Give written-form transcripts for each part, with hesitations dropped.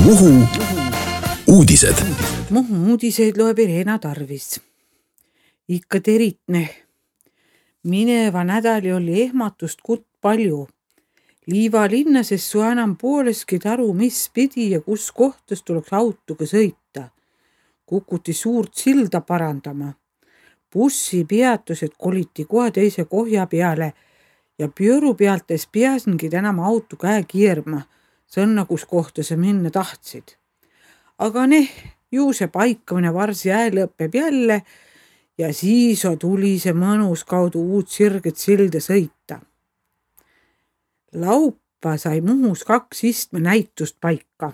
Muhu uudised. Muhu uudiseid loeb Irena Tarvis. Ikka teritne. Mineva nädali oli ehmatust kutt palju. Liiva linnas ei saa enam pooleski taru, mis pidi ja kus kohtas tuleks autoga sõita. Kukuti suurt silda parandama. Bussi peatused koliti kohe teise kohja peale ja pjööru pealtes peasingi enam auto käe keerma, sõnna, kus kohta sa minna tahtsid. Aga ju see paikamine varsi lõpeb jälle ja siis tuli see mõnus kaudu uut sirget silda sõita. Laupa sai Muhus 2 istmenäitust paika.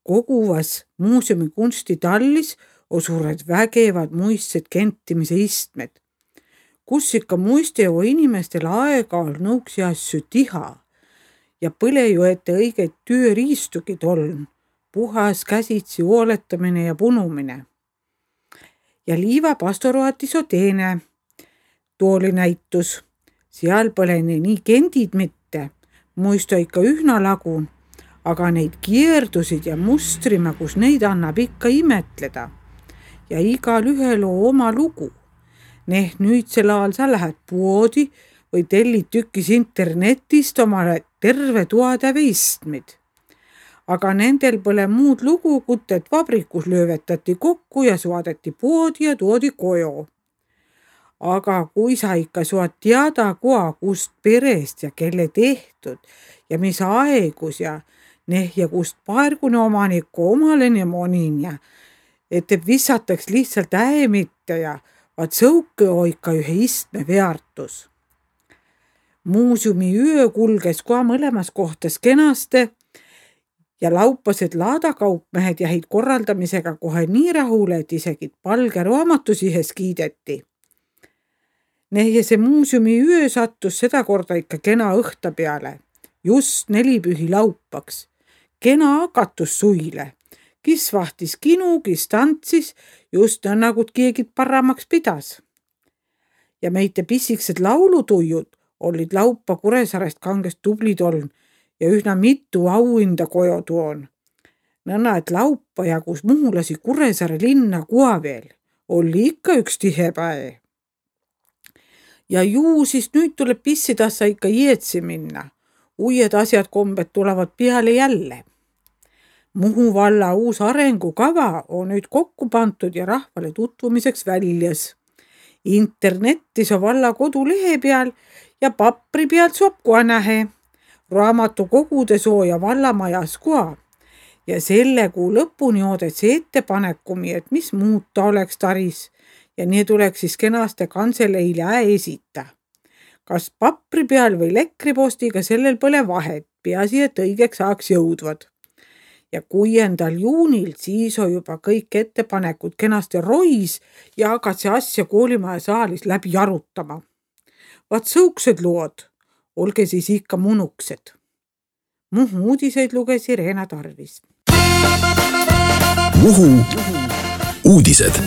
Koguvas muuseumi kunstitallis osured vägevad muistsed kentimise istmed, kus ikka muisteo inimestel aega-ajalt nõuksi asju tiha ja põle ju ette õigeid tööriistugi toln, puhas käsitsi hooletamine ja punumine. Ja Liiva pastoratis teine tooli näitus. Seal pole nii kendid mitte, muisto ikka ühna lagun, aga neid keerdusid ja mustrima, kus neid annab ikka imetleda. Ja igal ühel oma lugu. Nüüdsel ajal sa lähed poodi või tellid tükis internetist omale terve toatäve istmid. Aga nendel pole muud lugu, kut et vabrikus löövetati kokku ja saadeti poodi ja toodi koju. Aga kui sa ikka saad teada koha, kust perest ja kelle tehtud ja mis aegus ja kust paargune omaniku omalene monin ja et vissataks lihtsalt mitte ja vaat sõuke ikka ühe istme väärtus. Muuseumi öö kulges koha mõlemas kohtas kenaste ja laupased laadakaupmehed jäid korraldamisega kohe nii rahule, et isegi palge raamatus ihes kiideti. Ja see muuseumi öö sattus seda korda ikka kena õhta peale, just 4 pühi laupaks. Kena akatus suile, kis vahtis kinu, kis tantsis, just nagu keegi paramaks pidas. Ja meite pissiksed laulutuijud olid laupa Kuressaarest kangest tublid oln ja üsna mitu auhinda koju toon. Nõnda, et laupa jagus muhulasi Kuressaare linna koha veel, oli ikka üks tihe päev. Ja siis nüüd tuleb pissidassa ikka jeetsi minna. Uued asjad kombed tulevad peale jälle. Muhu valla uus arengukava on nüüd kokku pandud ja rahvale tutvumiseks väljas. Internetis on valla kodulehe peal ja papri pealt saab kohe nähe. Raamatukogude sooja vallamajas koha. Ja selle kuu lõpuni oodetsi ettepanekumi, et mis muuta oleks taris ja nii tuleks siis kenaste kantseleile esita. Kas papri peal või lekripostiga sellel pole vahet, peasi, et õigeks saaks jõudvad. Ja 6. juunil siis on juba kõik ettepanekud kenasti rois ja hakkad see asja koolimaja saalis läbi arutama. Vaat sõuksed lood, olge siis ikka munuksed. Muhu uudiseid luges Irena Tarvis. Muhu uudised.